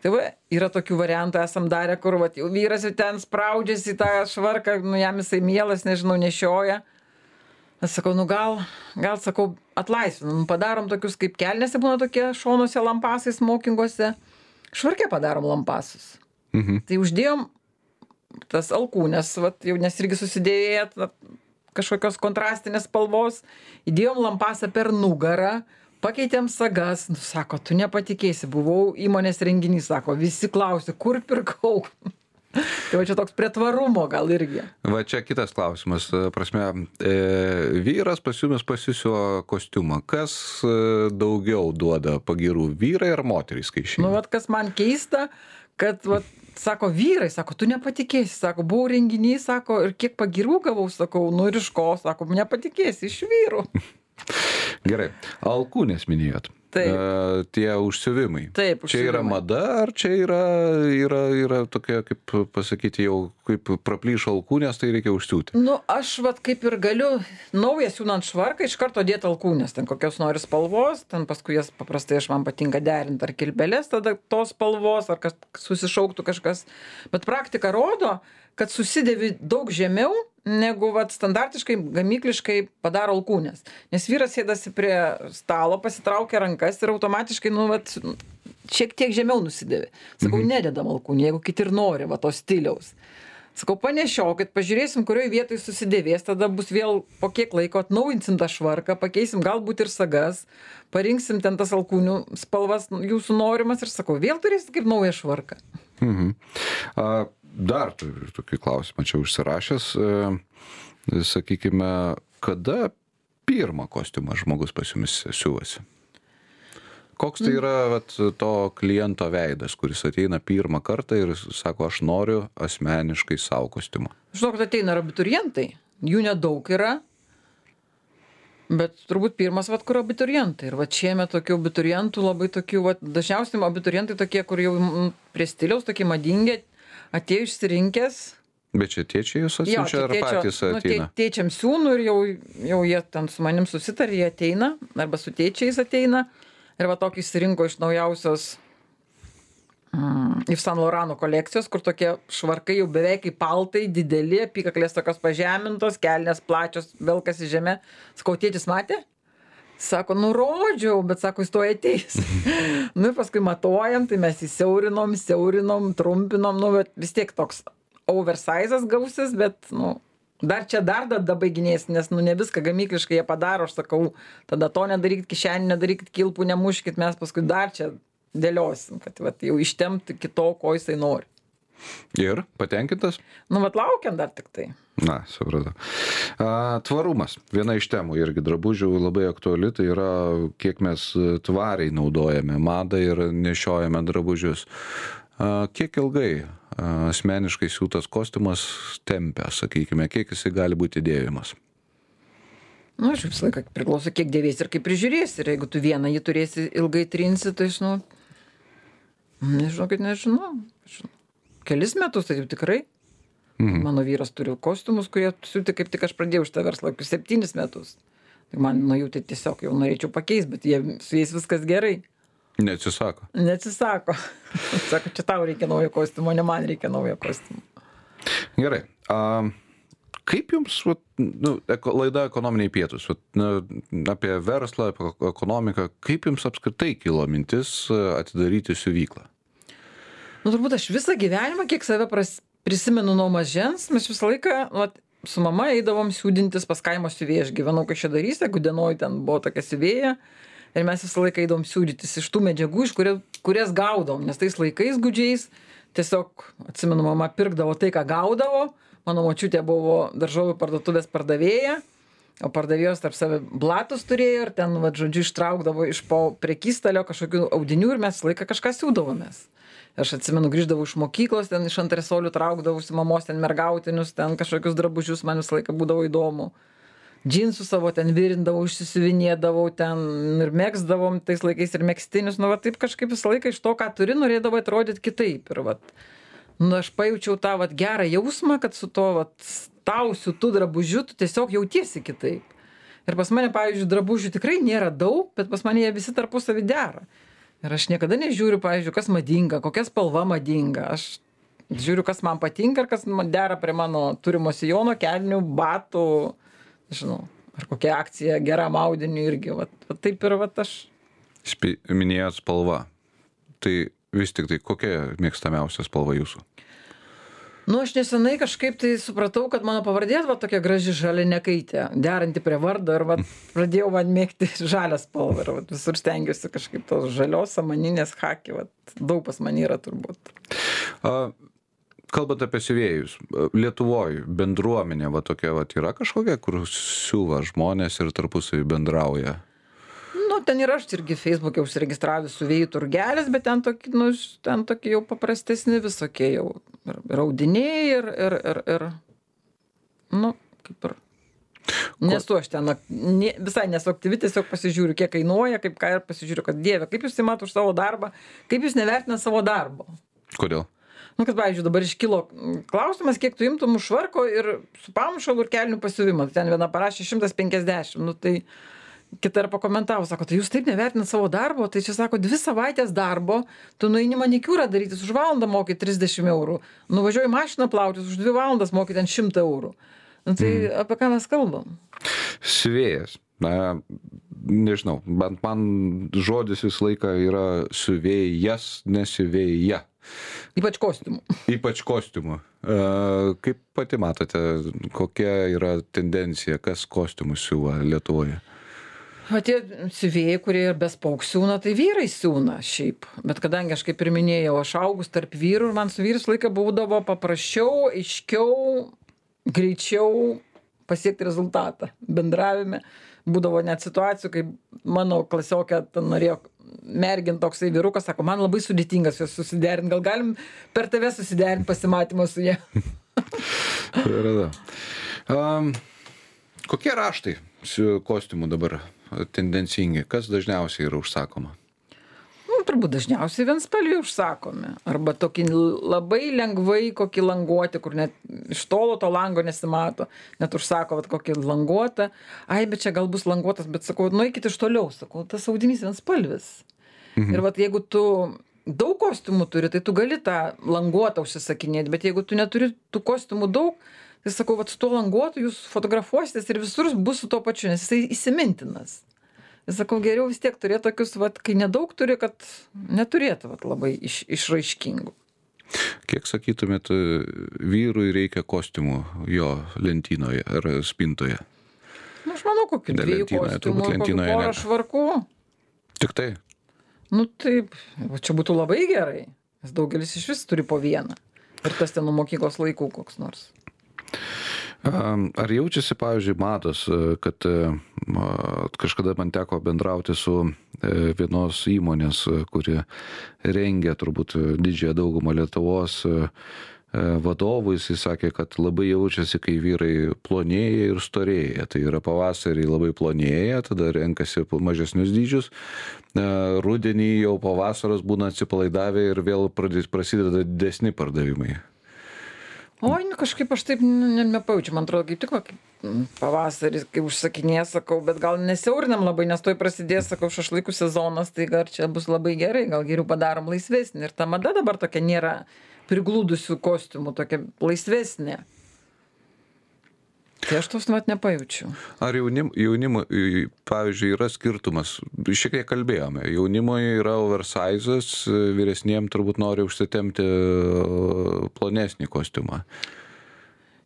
[SPEAKER 2] Tai va, yra tokių variantų, esam darę, kur va, jau vyras jau ten spraudžiasi į tą švarką, nu, jam jisai mielas, nežinau, nešioja. Aš sakau, nu gal, gal sakau, atlaisvinam, padarom tokius kaip kelnėse būna tokie šonuose lampasai smokinguose, švarke padarom lampasus.
[SPEAKER 1] Mhm.
[SPEAKER 2] Tai uždėjom tas alkūnes, vat, jau nes irgi susidėję kažkokios kontrastinės spalvos, įdėjom lampasą per nugarą, pakeitėm sagas, nu, sako, tu nepatikėsi, buvau įmonės renginys, sako, visi klausė, kur pirkau. Tai va čia toks prie tvarumo gal irgi.
[SPEAKER 1] Va čia kitas klausimas, prasme, e, vyras pasiūmės pasisiuo kostiumą, kas e, daugiau duoda pagirų, vyrai ar moterys, kai išeina?
[SPEAKER 2] Nu, vat kas man keista, kad, vat, sako, vyrai, sako, tu nepatikėsi, sako, buvau renginys, sako, ir kiek pagirų gavau, sakau, nu ir iš ko, sako, nepatikėsi, iš vyrų.
[SPEAKER 1] Gerai, alkūnės minėjot.
[SPEAKER 2] Taip.
[SPEAKER 1] E, tie užsiuvimai.
[SPEAKER 2] Taip,
[SPEAKER 1] Čia yra
[SPEAKER 2] užsiuvimai.
[SPEAKER 1] mada, ar čia yra, yra, yra tokia, kaip pasakyti, jau kaip praplyšo alkūnės, tai reikia užsiūti?
[SPEAKER 2] Nu, aš vat kaip ir galiu naują siūnant švarką iš karto dėti alkūnės, ten kokios nori spalvos, ten paskui jas paprastai aš man patinka derinti ar kilpeles, tada tos spalvos, ar kas susišauktų kažkas. Bet praktika rodo, kad susidėvi daug žemiau, negu vat standartiškai gamykliškai padaro alkūnės. Nes vyras sėdasi prie stalo, pasitraukia rankas ir automatiškai, nu, vat, šiek tiek žemiau nusidėvi. Sakau, mhm. nededam alkūnį, jeigu kiti ir nori, va, to stiliaus. Sakau, panešiokit, pažiūrėsim, kurioje vietoje susidėvės, tada bus vėl po kiek laiko atnaujinsim tą švarką, pakeisim galbūt ir sagas, parinksim ten tas alkūnių spalvas jūsų norimas ir sakau, vėl turėsit kaip naują švarką.
[SPEAKER 1] Mhm. A, dar turiu tokį klausimą čia užsirašęs. E, sakykime, kada pirmą kostiumą žmogus pas jumis siuvasi? Koks tai yra vat, to kliento veidas, kuris ateina pirmą kartą ir sako, aš noriu asmeniškai savo kostiumą?
[SPEAKER 2] Žinau, kad ateina ir abiturientai, jų nedaug yra, bet turbūt pirmas, vat, kur abiturientai. Ir vat šiemet tokių abiturientų labai tokių, vat, dažniausiai abiturientai tokie, kur jau prie stiliaus, tokie madingi, atėjo išsirinkęs.
[SPEAKER 1] Bet čia tėčiai jūs atsiunčia ar
[SPEAKER 2] tėčio,
[SPEAKER 1] patys
[SPEAKER 2] nu,
[SPEAKER 1] ateina?
[SPEAKER 2] Tė, tėčiam siūnų ir jau, jau jie ten su manim susitarė, jie ateina, arba su tėčiais ateina. Ir va tokį išsirinko iš naujausios mm, Yves Saint Laurent kolekcijos, kur tokie švarkai jau beveik kaip paltai, dideli, apykaklės tokios pažemintos, kelnės plačios, velkas į žemę. Sakau, tėtis matė? Sako, nu rodžiau, bet sako, jis to ateis. Nu ir paskui matuojam, tai mes įsiaurinom, siaurinom, trumpinom, nu bet vis tiek toks oversizas gausis, bet, nu, dar čia dar tada baiginės, nes, nu, ne viską gamykliškai jie padaro, aš sakau, tada to nedarykit kišenį, nedarykit kilpų, nemuškit, mes paskui dar čia dėliosim, kad, vat, jau ištemti kito, ko jisai nori.
[SPEAKER 1] Ir patenkintas?
[SPEAKER 2] Nu, vat laukiam dar tik tai.
[SPEAKER 1] Na, supratau. A, tvarumas. Viena iš temų irgi drabužių labai aktuali, tai yra, kiek mes tvariai naudojame madą ir nešiojame drabužius. A, kiek ilgai a, asmeniškai siūtas kostiumas tempia, sakykime, kiek jisai gali būti dėvimas?
[SPEAKER 2] Nu, aš visą laiką priklauso, kiek dėvėsi ir kaip prižiūrėsi. Ir jeigu tu vieną jį turėsi ilgai trinsi, tai, nu, nežinau, kad nežinau. Kelis metus, tai jau tikrai. Mhm. Mano vyras turi kostiumus, kurie siūti, kaip tik aš pradėjau šitą verslą, septynis metus. Tai man, nu, jau tai tiesiog jau norėčiau pakeisti, bet jie, su jais viskas gerai.
[SPEAKER 1] Neatsisako.
[SPEAKER 2] Neatsisako. Sako, čia tau reikia naujo kostiumo, ne man reikia naujo kostiumo.
[SPEAKER 1] Gerai. A, kaip jums, vat, nu, eko, laida ekonominiai pietūs, vat, na, apie verslą, apie ekonomiką, kaip jums apskritai kilo mintis atidaryti siuvyklą?
[SPEAKER 2] Nu, turbūt aš visą gyvenimą, kiek save pras, prisimenu nuo mažens, mes visą laiką, vat, su mama eidavom siūdintis pas kaimo siuvėją. Aš gyvenau Kaišiadorys, Gudenoj ten buvo tokia siuvėja. Ir mes visą laiką eidavom siūdytis iš tų medžiagų, iš kurie, kurias gaudom. Nes tais laikais gudžiais tiesiog, atsimenu, mama pirkdavo tai, ką gaudavo. Mano močiutė buvo daržovių parduotuvės pardavėja, o pardavėjos tarp save blatus turėjo ir ten, va, žodžiu, ištraukdavo iš po prekystalio kažkokių audinių ir mes visą laiką kažką siūdavomės. Aš atsimenu, grįždavau iš mokyklos, ten iš antresolių traukdavausi mamos ten mergautinius, ten kažkokius drabužius, man visą laiką būdavo įdomu. Džinsų savo ten virindavau, išsisiuvinėdavau ten ir megzdavom tais laikais ir megstinius, nu va taip kažkaip visą laiką iš to, ką turi, norėdavau atrodyti kitaip. Ir va, nu aš pajaučiau tą va gerą jausmą, kad su to va tausiu tų drabužių tu tiesiog jautiesi kitaip. Ir pas mane, pavyzdžiui, drabužių tikrai nėra daug, bet pas mane jie visi tarpusavy dera. Ir aš niekada nežiūriu, pavyzdžiui, kas madinga, kokia spalva madinga. Aš žiūriu, kas man patinka ir kas dera prie mano turimo sijono, kelnių, batų, žinau. ar kokia akcija geram audiniui irgi, vat, vat taip ir vat aš.
[SPEAKER 1] Spi- Minėjot spalva. Tai vis tik tai kokia mėgstamiausia spalva jūsų?
[SPEAKER 2] Nu, aš nesenai kažkaip tai supratau, kad mano pavardė va tokia graži žalinekaitė, deranti prie vardo ir va pradėjau man mėgti žalią spalvą ir va visur stengiuosi kažkaip tos žalios, samaninės haki, va daug pas man yra turbūt.
[SPEAKER 1] A, kalbant apie siuvėjus, Lietuvoje bendruomenė va tokia va yra kažkokia, kur siuva žmonės ir tarpusavį bendrauja?
[SPEAKER 2] Nu, ten ir aš irgi Facebook'e užsiregistravęs siuvėjų turgelis, bet ten tokie, nu, ten tokie jau paprastesni visokie jau ir, ir audiniai ir, ir, ir, ir, nu, kaip ir. Nesu aš ten, ne, visai nesu aktyvi, tiesiog pasižiūriu, kiek kainuoja, kaip ką ir pasižiūriu, kad dieve, kaip jūs įmat už savo darbą, kaip jūs nevertina savo darbo.
[SPEAKER 1] Kodėl?
[SPEAKER 2] Nu, kad, pavyzdžiui, dabar iškilo klausimas, kiek tu imtum už švarko ir su pamušalu ir kelnių pasiuvimą. Ten viena parašė šimtas penkiasdešimt, nu tai kita ir pakomentavo, sako, tai jūs taip nevertinat savo darbo, tai čia sako, dvi savaitės darbo, tu nueini manikiūrą darytis, už valandą moki trisdešimt eurų, nuvažiuoji mašiną plautis, už dvi valandas moki ten šimtą eurų. Nu, tai mm. apie ką mes kalbam?
[SPEAKER 1] Siuvėjas. Na, nežinau, bent man žodis visą laiką yra siuvėjas, nesiuvėja.
[SPEAKER 2] Ypač kostiumų.
[SPEAKER 1] Ypač kostiumų. E, kaip pati matote, kokia yra tendencija, kas kostiumus siuva Lietuvoje?
[SPEAKER 2] O tie siuvėjai, kurie ir bespauk siūna, tai vyrai siūna šiaip. Bet kadangi aš kaip ir minėjau, aš augus tarp vyrų ir man su vyrais laiką būdavo paprasčiau, aiškiau, greičiau pasiekti rezultatą bendravime. Būdavo net situacijų, kai mano klasiokė norėjo mergint toksai vyrukas, sako, man labai sudėtingas jos susiderinti, gal galim per tave susiderinti pasimatymą su jie.
[SPEAKER 1] um, kokie raštai su kostiumu dabar tendencingi? Kas dažniausiai yra užsakoma?
[SPEAKER 2] Nu, turbūt dažniausiai vienspalviai užsakomi. Arba tokį labai lengvai kokį languotį, kur net iš tolo to lango nesimato. Net užsako vat, kokį languotą. Ai, bet čia gal bus languotas, bet sakau, nueikit iš toliau. Sakau, tas audinys vienspalvis. Mhm. Ir vat, jeigu tu daug kostiumų turi, tai tu gali tą languotą užsisakinėti. Bet jeigu tu neturi tų kostiumų daug, tai sakau, vat, su tuo languotu jūs fotografuositės ir visur bus su tuo pačiu, nes jisai įsimintinas. Ir sakau, geriau vis tiek turėti tokius, vat, kai nedaug turi, kad neturėtų vat, labai iš, išraiškingų.
[SPEAKER 1] Kiek sakytumėt, vyrui reikia kostiumų jo lentynoje ar spintoje?
[SPEAKER 2] Nu, aš manau, kokių dviejų kostiumų, kokių porą švarkų.
[SPEAKER 1] Tik tai?
[SPEAKER 2] Nu taip, o čia būtų labai gerai, nes daugelis iš vis turi po vieną. Ir tas ten nuo mokyklos laikų koks nors.
[SPEAKER 1] Ar jaučiasi, pavyzdžiui, matos, kad kažkada man teko bendrauti su vienos įmonės, kuri rengia turbūt didžiąją daugumą Lietuvos vadovų, jis sakė, kad labai jaučiasi, kai vyrai plonėja ir storėja. Tai yra pavasarį labai plonėja, tada renkasi mažesnius dydžius, rudenį jau po vasaros būna atsipalaidavę ir vėl prasideda didesni pardavimai.
[SPEAKER 2] Oi, nu, kažkaip aš taip nepajaučiu, man atrodo, kaip tik va, pavasaris, kai užsakinė, sakau, bet gal nesiaurinam labai, nes toj prasidės, sakau, šašlaikų sezonas, tai gal čia bus labai gerai, gal geriau padarom laisvesnį. Ir ta mada dabar tokia nėra priglūdusių kostiumų, tokia laisvesnė. Tai aš tos mat nepajaučiu.
[SPEAKER 1] Ar jaunim, jaunimo, pavyzdžiui, yra skirtumas, šiek tiek kalbėjome, jaunimoje yra oversizas, vyresniem turbūt nori užsitemti plonesnį kostiumą.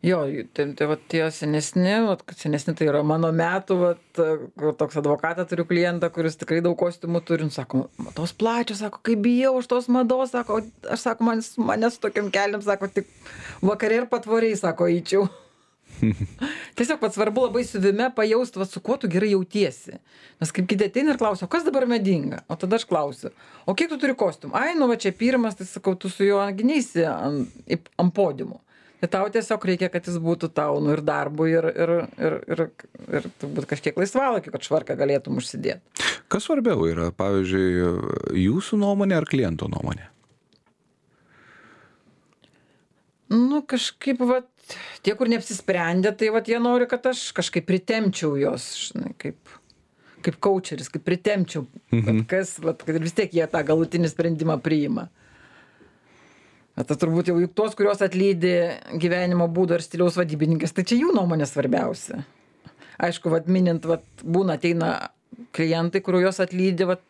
[SPEAKER 2] Jo, tai, tai va tie senesni, va, senesni tai yra mano metų, va, toks advokatą turiu klientą, kuris tikrai daug kostiumų turi, nu, sako, tos plačios, sako, kaip bijau aš tos mados, sako, aš sako, man, mane su tokiam keliam, sako, tik vakarė ir patvoriai, sako, eičiau. Tiesiog pats svarbu labai siuvime pajaust, va, su kuo tu gerai jautiesi. Nes kaip kiti ateina ir klausia, o kas dabar madinga? O tada aš klausiu, o kiek tu turi kostiumų? Ai, nu va čia pirmas, tai sakau, tu su juo gyneisi ant, ant podiumų. Tai tau tiesiog reikia, kad jis būtų tau, nu ir darbui, ir, ir, ir, ir, ir turbūt kažkiek laisvalaikiu, kad švarką galėtum užsidėti.
[SPEAKER 1] Kas svarbiau yra, pavyzdžiui, jūsų nuomonė ar kliento nuomonė?
[SPEAKER 2] Nu, kažkaip, va, tie, kur neapsisprendė, tai va, jie nori, kad aš kažkaip pritempčiau jos, žinai, kaip, kaip coacheris, kaip pritempčiau, mhm. kas, va, kad vis tiek jie tą galutinį sprendimą priima. Tai turbūt jau juk tos, kurios atlydi gyvenimo būdo ir stiliaus vadybininkės, tai čia jų nuomonė svarbiausia. aišku, vat minint, vat būna ateina klientai, kuriuos juos atlydi, vat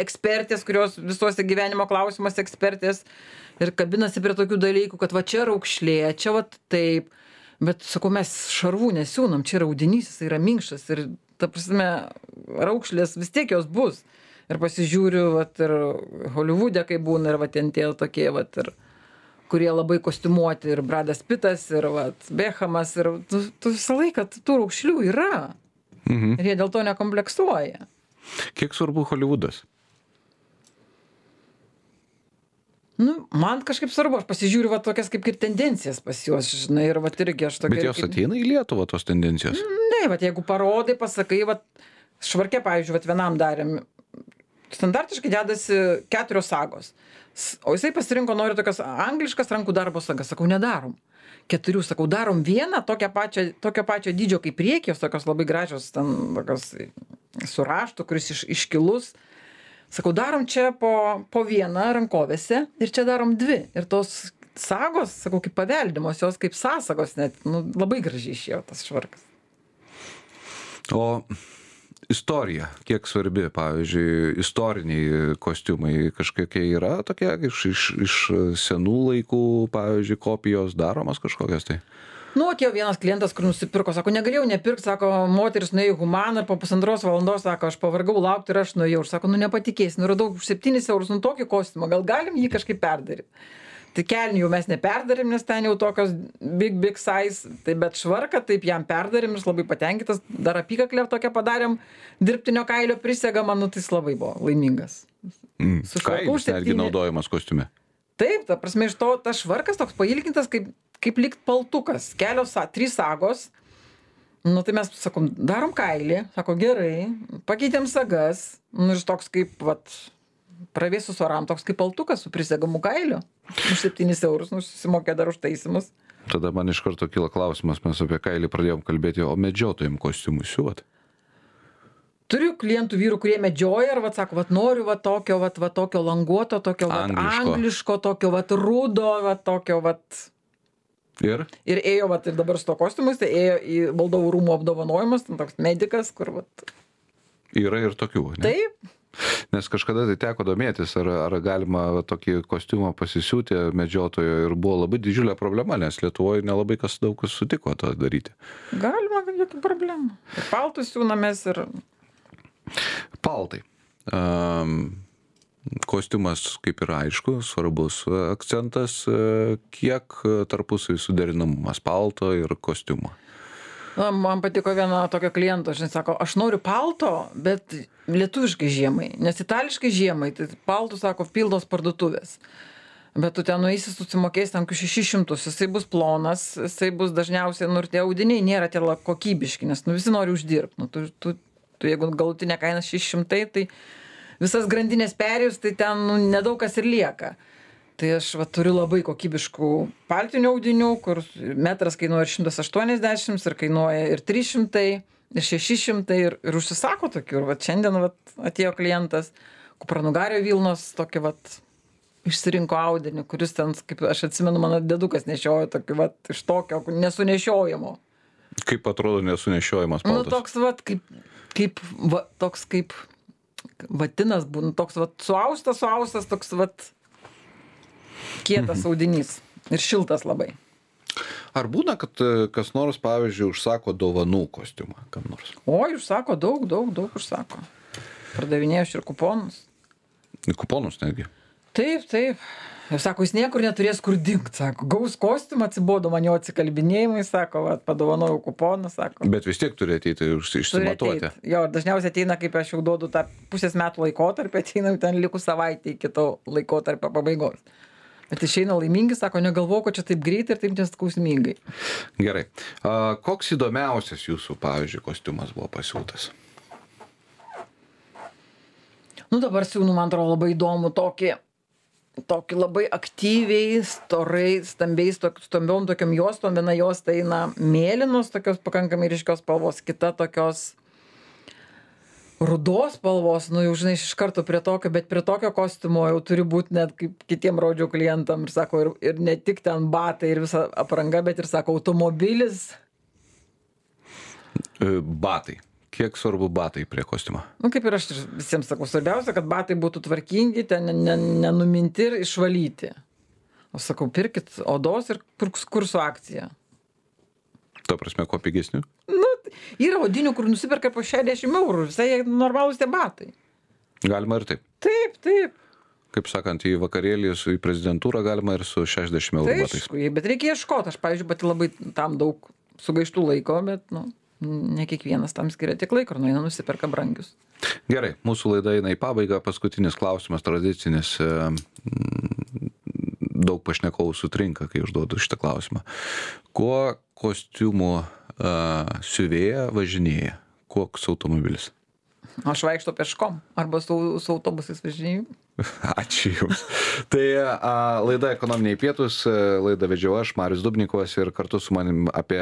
[SPEAKER 2] ekspertės, kurios visuose gyvenimo klausimuose ekspertės ir kabinasi prie tokių dalykų, kad va čia raukšlė, čia va taip, bet sakau, mes šarvų nesiūnam, čia yra audinys, jis yra minkštas ir ta prasme, raukšlės vis tiek jos bus. Ir pasižiūriu, vat ir Holivude, kai būna, ir va ten tie tokie, vat ir kurie labai kostiumuoti, ir Bradas Pitas, ir vat Bechamas, ir tu, tu visą laiką tų raukšlių yra.
[SPEAKER 1] Mhm.
[SPEAKER 2] Ir jie dėl to nekompleksuoja.
[SPEAKER 1] Kiek svarbu Holivudas?
[SPEAKER 2] Nu, man kažkaip svarbu, aš pasižiūriu va tokias kaip ir tendencijas pas juos, žinai, ir va irgi aš tokia...
[SPEAKER 1] Bet jos
[SPEAKER 2] kaip...
[SPEAKER 1] ateina į Lietuvą, tos tendencijos?
[SPEAKER 2] Ne, va jeigu parodai, pasakai, va Švarke, pavyzdžiui, va vienam darėm, standartiškai dedasi keturios sagos, o jisai pasirinko, nori tokias angliškas rankų darbo sagas, sakau, nedarom. Keturių, sakau, darom vieną, tokią pačią, tokio pačio dydžio kaip priekį, jos tokios labai gražios, ten tokios su raštu, kuris iš, iškilus. Sakau, darom čia po, po vieną rankovėse ir čia darom dvi. Ir tos sagos, sakau, kaip paveldimos, jos kaip sąsagos net, nu, labai gražiai išėjo tas švarkas.
[SPEAKER 1] O istorija, kiek svarbi, pavyzdžiui, istoriniai kostiumai kažkokie yra tokie iš, iš, iš senų laikų, pavyzdžiui, kopijos daromos kažkokios tai?
[SPEAKER 2] Nu, atėjo vienas klientas, kur nusipirko, sako, negalėjau nepirkti, sako, moteris nuėjo į Humaną ir po pusantros valandos, sako, aš pavargau laukti ir aš nuėjau. Ir sako, nu nepatikėsi, nu radau už septynis eurus, nu tokį kostiumą, gal galim jį kažkaip perdaryti. Tai kelnių jau mes neperdarėm, nes ten jau tokios big, big size, tai bet švarką taip jam perdarėm, jis labai patenkintas, dar apykaklę tokią padarėm, dirbtinio kailio prisegą, man, nu tai jis labai buvo laimingas.
[SPEAKER 1] Mm. Kailis netgi naudojamas kostiume.
[SPEAKER 2] Taip, ta prasme, iš to tas švarkas toks pailgintas, kaip, kaip likt paltukas, kelios, trys sagos. Nu, tai mes, sakom, darom kailį, sako, gerai, pakeitėm sagas, nu, iš toks kaip, vat, pravėsus oram, toks kaip paltukas su prisegamu kailiu. Už septynis eurus, nu, susimokė dar už taisimus.
[SPEAKER 1] Tada man iš karto kyla klausimas, mes apie kailį pradėjom kalbėti, o medžiotojim kostiumus siuvat?
[SPEAKER 2] Turiu klientų vyrų, kurie medžioja ir vat sako, vat noriu vat tokio, vat, vat tokio languoto, tokio vat
[SPEAKER 1] Angliško.
[SPEAKER 2] angliško, tokio vat rudo, vat tokio vat.
[SPEAKER 1] Ir?
[SPEAKER 2] Ir ėjo vat ir dabar su to kostiumus, tai ėjo į valdovų rūmų apdovanojimus, ten toks medikas, kur vat.
[SPEAKER 1] Yra ir tokių, ne?
[SPEAKER 2] Taip.
[SPEAKER 1] Nes kažkada tai teko domėtis, ar, ar galima va, tokį kostiumą pasisiūti medžiotojo ir buvo labai didžiulė problema, nes Lietuvoje nelabai kas daug kas sutiko to daryti.
[SPEAKER 2] Galima, jokių problemų. Ir paltus siūnamės ir...
[SPEAKER 1] Paltai. Um, kostiumas, kaip ir aišku, svarbus akcentas, kiek tarpusai suderinamumas palto ir kostiumo.
[SPEAKER 2] Na, man patiko viena tokio kliento, žinai, sako, aš noriu palto, bet lietuviškai žiemai, nes itališkai žiemai, tai paltų, sako, pildos parduotuvės. Bet tu ten nueisi, susimokėsi ten šešis šimtus, jisai bus plonas, jisai bus dažniausiai, nu ir tie audiniai nėra tie kokybiški, nes nu visi nori uždirbti. Nu, tu, tu, tu, jeigu galutinė kaina šeši šimtai, tai visas grandinės perėjus, tai ten nu, nedaug kas ir lieka. Tai aš va, turiu labai kokybiškų paltinių audinių, kur metras kainuoja ir šimtas aštuoniasdešimt, ir kainuoja ir trys šimtai, ir šeši šimtai, ir, ir užsisako tokių. Ir va, šiandien va, atėjo klientas, kupranugario Vilnos, tokį va, išsirinko audinį, kuris ten, kaip aš atsimenu, mano dedukas nešiojo tokį va, iš tokio nesunešiojimo.
[SPEAKER 1] Kaip atrodo nesunešiojimas paltas?
[SPEAKER 2] Nu, toks va, kaip, kaip, va, toks kaip vatinas būna, toks va, suaustas, suaustas, toks va, kietas audinys ir šiltas labai.
[SPEAKER 1] Ar būna, kad kas nors, pavyzdžiui, užsako dovanų kostiumą kam nors?
[SPEAKER 2] Oi, užsako daug, daug, daug užsako. Pardavinėjau ir kuponus.
[SPEAKER 1] Kuponus netgi?
[SPEAKER 2] Taip, taip. Ir sako, jis niekur neturės kur dingt, sako. Gaus kostiumą, atsibodo man jo atsikalbinėjimai, sako, va, padovanojau kuponą, sako.
[SPEAKER 1] Bet vis tiek turi ateiti išsimatuoti.
[SPEAKER 2] Jo, dažniausiai ateina, kaip aš jau duodu tą pusės metų laikotarpį, ateina ten likus savaitę iki to laikotarpio pabaigos. Bet išeina laimingi, sako, negalvau, kad čia taip greitai ir taip neskausmingai.
[SPEAKER 1] Gerai. A, koks įdomiausias jūsų, pavyzdžiui, kostiumas buvo pasiūtas?
[SPEAKER 2] Nu, dabar siūnu, man atrodo, labai įdomu tokį, tokį labai aktyviai, storai, stambiais, tok, stambiom tokiam juostom. Viena jos tai eina mėlynos, tokios pakankamai ryškios spalvos, kita tokios rudos spalvos, nu jau žinai, iš karto prie tokio, bet prie tokio kostiumo jau turi būti net kaip kitiem rodžiau klientam ir sako, ir, ir ne tik ten batai ir visa apranga, bet ir sako, automobilis.
[SPEAKER 1] E, Batai. Kiek svarbu batai prie kostiumo?
[SPEAKER 2] Nu, kaip ir aš ir visiems sakau, svarbiausia, kad batai būtų tvarkingi, ten ne- ne- nenuminti ir išvalyti. Aš sakau, pirkit odos ir kur- kursų akciją.
[SPEAKER 1] Ta prasme, kuo pigesnių?
[SPEAKER 2] Nu, yra odinių, kur nusiperka po šešiasdešimt eurų, visai jie normalūs tie batai.
[SPEAKER 1] Galima ir taip.
[SPEAKER 2] Taip, taip.
[SPEAKER 1] Kaip sakant, į vakarėlį, su- į prezidentūrą galima ir su šešiasdešimt eurų
[SPEAKER 2] Tai
[SPEAKER 1] batais.
[SPEAKER 2] aišku, bet reikia ieškoti. Aš, pavyzdžiui, pati labai tam daug sugaištų laiko, bet, nu, ne kiekvienas tam skiria tiek laiko ir nueina nusiperka brangius.
[SPEAKER 1] Gerai, mūsų laida eina į pabaigą. Paskutinis klausimas, tradicinis. e, mm, Daug pašnekovų sutrinka, kai užduodu šitą klausimą. Kuo kostiumų uh, siuvėja važinėja? Koks automobilis?
[SPEAKER 2] Aš vaikšto peškom arba su, su autobusais važinėju.
[SPEAKER 1] Ačiū Jums. Tai a, laida Ekonominiai pietūs, a, laidą vedžiau aš, Marius Dubnikovas, ir kartu su manim apie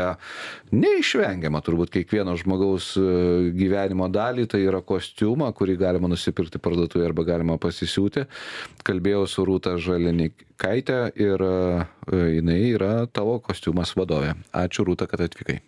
[SPEAKER 1] neišvengiamą turbūt kiekvieno žmogaus a, gyvenimo dalį, tai yra kostiumą, kurį galima nusipirkti parduotuvėje arba galima pasisiūti. Kalbėjau su Rūta Žalinikaitė ir a, jinai yra tavo kostiumas vadovė. Ačiū Rūta, kad atvykai.